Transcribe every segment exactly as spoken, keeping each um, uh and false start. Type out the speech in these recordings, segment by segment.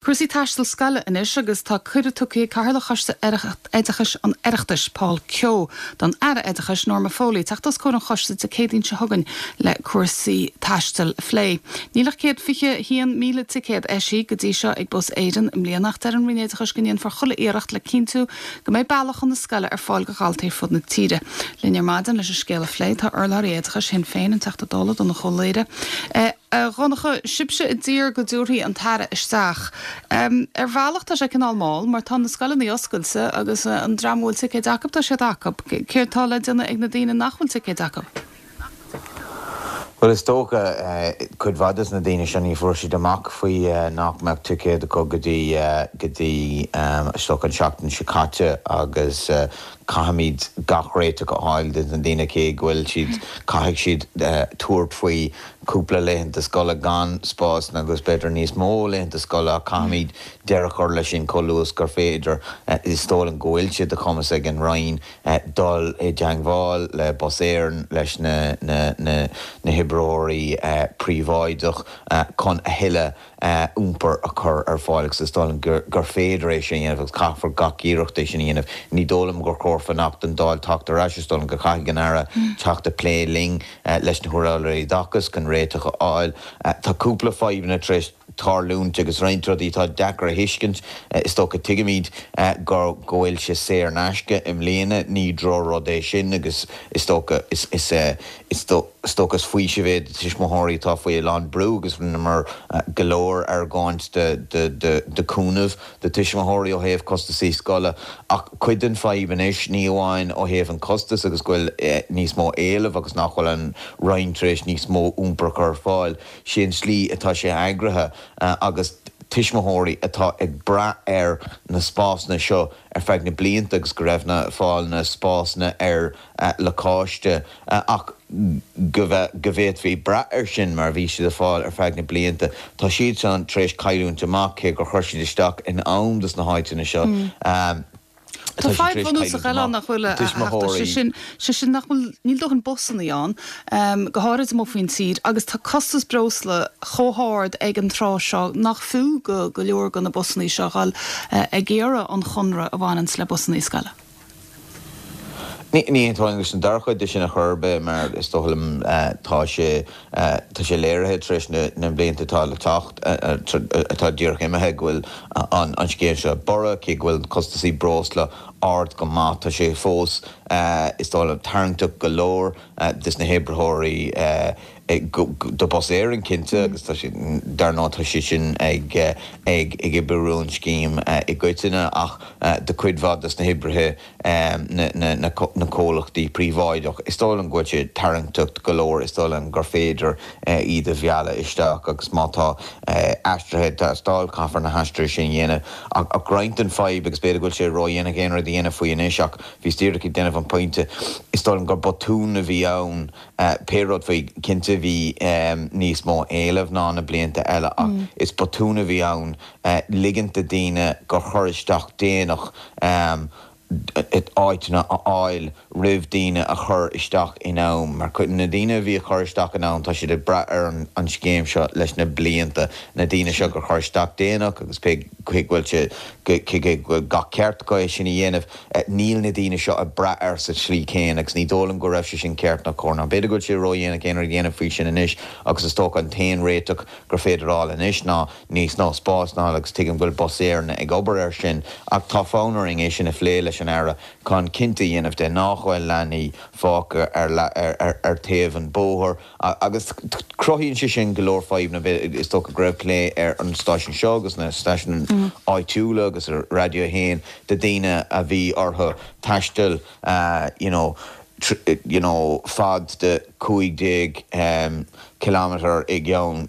Cúrsaí taistil scoile anois agus tá cuireadh tugtha ag Cathaoirleach Choiste Oideachais an Oireachtais Paul Kehoe don Aire Oideachais Norma Foley teacht os comhair an choiste Dé Céadaoin seo chugainn le cúrsaí taistil a phlé. Níl ach céad fiche haon míle ticéad eisithe go dtí seo ag Bus Éireann i mbliana ach deir an Roinn Oideachais go ndéanfar chuile iarracht le cinntiú go mbeidh bealach chun na scoile ar fáil do dhaltaí ar fud na tíre. Linn ar maidin leis an scéal a phlé tá urlabhraí oideachais Shinn Féin an Teachta Dála Donnchadh Ó Laoghaire. Eh, a Dhonncha sibhse a d'iarr go dtabharfaí an tAire isteach. Um, ar bhealach tá sé cineál mall, mar tá na scoileanna oscailte agus uh, an dream a bhfuil ticéid acu tá siad acu. Céard tá le déanamh ag na daoine nach bhfuil ticéid acu. Well is dócha cuid mhaith de na daoine sin ní fuair siad amach faoi nach mbeadh ticéad acu go dtí go dtí isteach an seachtain seo caite agus caithfimid gach réiteach a fháil do na daoine cé go bhfuil siad caithfidh siad tabhairt faoi cúpla laethanta scoile gan spás agus b'fhéidir níos mó laethanta scoile caithfimid deireadh a chur leis sin chomh luath gur féidir is dóigh liom go bhfuil sé de chumas ag an Roinn dul i dteagmháil le Bus Éireann leis na na na na hoibreoirí príobháideach chun a thuilleadh iompar a chur ar fáil agus is dóigh liom gur gur féidir é sin dhéanamh agus caithfear gach iarracht é sin dhéanamh. Ní dóigh liom gur chóir fanacht don Dáil teacht ar ais is dóigh liom go caithfidh an Aire teacht a plé linn leis na hurlabhraí oideachais chun réiteach a fháil. Tá cúpla fadhbanna tar éis tarlúint agus roinnt rudaí atá deacair a thuiscint is dócha tuigimid gur go bhfuil sé saor in aisce i mbliana ní drochrud é sin agus is dócha is is is dócha is faoiseamh é tuismitheoirí atá faoi a lán brú agus mar go leor argóint de de de de cúnamh de tuismitheoirí ó thaobh costasaí scoile ach cuid den fadhb anois ní amháin ó thaobh an costas agus go bhfuil níos mó éileamh agus nach bhfuil an Roinn tar éis níos mó iompar chur ar fáil sin slí atá sé eagraithe agus tuismitheoirí atá ag brath ar na spásanna seo ar feadh na blianta agus go raibh na fáil na spásanna ar lacáiste ach go go bhféadfaí brath ar sin mar bhí siad a fáil ar feadh na blianta. Tá siad san tar éis cailliúint amach cé gur chuir siad isteach in am dos na háiteanna seo. Um, Tá fadhb bhunúsach eile nach bhfuil sé sin sé sin nach bhfuil níl dóthain busanna ann go háirid amuigh faoin tír agus tá costas breosla chomh hard ag an tráth seo nach fiú go go leor de na busanna seo dhul ag iarraidh an chonradh a bhaineann le busanna scoile. Ní ní leis an dara cuid de sin a churbe mar is dóigh liom tá sé tá sé léirithe tar éis na blianta atá le teacht atá díreach imithe go bhfuil an an scéim seo borradh cé go bhfuil costasaí breosla ard go maith tá sé fós is dóigh liom tarraingteach go leor des na hoibreoirí do Bus Éireann cinnte agus tá sé dar ndóigh tá sé sin ag ag ag oibriú an scéim i gcoitinne ach de cuid mhaith des na hoibrithe na na na comhlachtaí príobháideach. Is dóigh liom go bhfuil sé tarraingteach go leor is dóigh liom gur féidir iad a mhealladh isteach agus má tá aistrithe teastáil caithfear na haistrithe sin dhéanamh ach roinnt den fadhb agus b'fhéidir go bhfuil sé ródhéanach aon rud a dhéanamh faoi anois ach bhí díreach ag déanamh an pointe is dóigh liom gur botún a bhí ann pé rud faoi cinnte bhí níos mó éileamh ná na blianta eile ach is botún a bhí ann ligint do daoine gur chuir isteach déanach áiteanna a fháil roimh daoine a chur isteach in am mar na daoine a bhí a chur isteach in am tá siad ag brath ar an, an scéim seo leis na blianta na daoine seo gur chuir isteach déanach agus pé chuig bhfuil sé go gach ceart go é sin a dhéanamh níl na daoine seo ag brath air sa tslí céanna agus ní dóigh liom go raibh sé sin ceart ná cóir ná b'fhéidir go bhfuil sé ródhéanach aon rud a dhéanamh faoi sin anois agus is dócha an t-aon réiteach gur féidir fháil anois ná níos mó spás ná agus tuigim go bhfuil Bus Éireann ag obair ar sin ach tá fonn orainn é sin a phlé leis an Aire chun cinnte dhéanamh de nach bhfuil leanaí fágtha ar, ar, ar, ar taobh an bóthar agus cruthaíonn sé sin go leor fadhbanna is dócha go raibh plé ar an stáisiún seo agus na stáisiúin mm. áitiúla agus ar Radio haon de daoine a bhí orthu taisteal uh, you know, you know, fad de cúig déag um, kilometer i gceann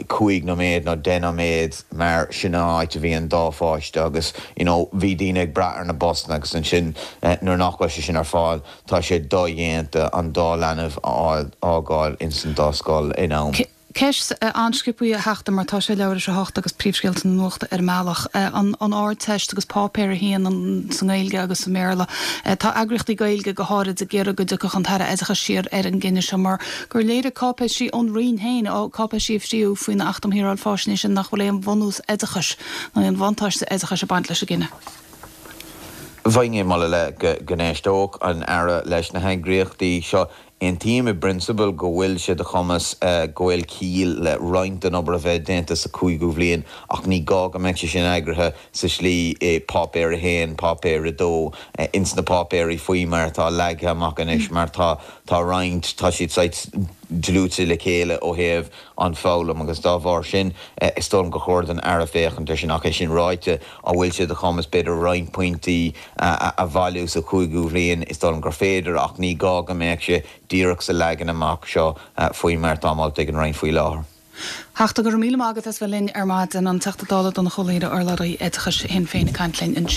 cúig nóiméad nó deich nóiméad mar sin áit a bhí an dá pháiste agus you know, bhí daoine ag brath ar na busanna agus ansin eh, nuair nach bhfuil sé sin ar fáil tá sé dodhéanta an dá leanbh a fhágáil ins an dá scoil in am. Ceist an-sciobtha, a Theachta, mar tá sé leathuair tar éis a hocht agus príomhscéalta na nuachta ar an mbealach. An an Ardteist agus páipéar a haon sa nGaeilge agus sa mBéarla. Tá eagraíochtaí Gaeilge go háirid ag iarraidh go dtiocfadh an tAire Oideachais siar ar an gcinneadh seo mar gur léirigh cáipéisí ón Roinn féin, cáipéisí a fríodh faoin Acht um Shaoráil Faisnéise nach bhfuil aon bhunús oideachais nó aon bhuntáiste oideachais ag baint leis an gcinneadh. Bheinn ag moladh le go n-éisteodh an Aire leis na heagraíochtaí seo. Aontaím i bprionsabal go bhfuil sé de chumas go bhfuil ciall le roinnt den obair a bheith déanta sa cúigiú bhliain ach ní gá go mbeadh sé sin eagraithe sa slí i páipéar a haon, páipéar a dó, ins na páipéirí faoi mar atá leagtha amach anois mar tá tá roinnt tá siad saghas dlúite le chéile ó thaobh an foghlaim agus dá bharr sin is dóigh liom gur chóir don Aire féachaint air sin ach é sin ráite an bhfuil sé de chumas b'fhéidir roinnt pointí a bhailiú sa chúigiú bhliain is dóigh liom gur féidir ach ní gá go mbeadh sé díreach sa leagan amach seo faoi mar atá molta ag an Roinn faoi láthair. Teachta go raibh míle maith agat as bheith linn ar maidin an Teachta Dála Donnchadh Ó Laoghaire urlabhraí oideachais Shinn Féin ag caint linn.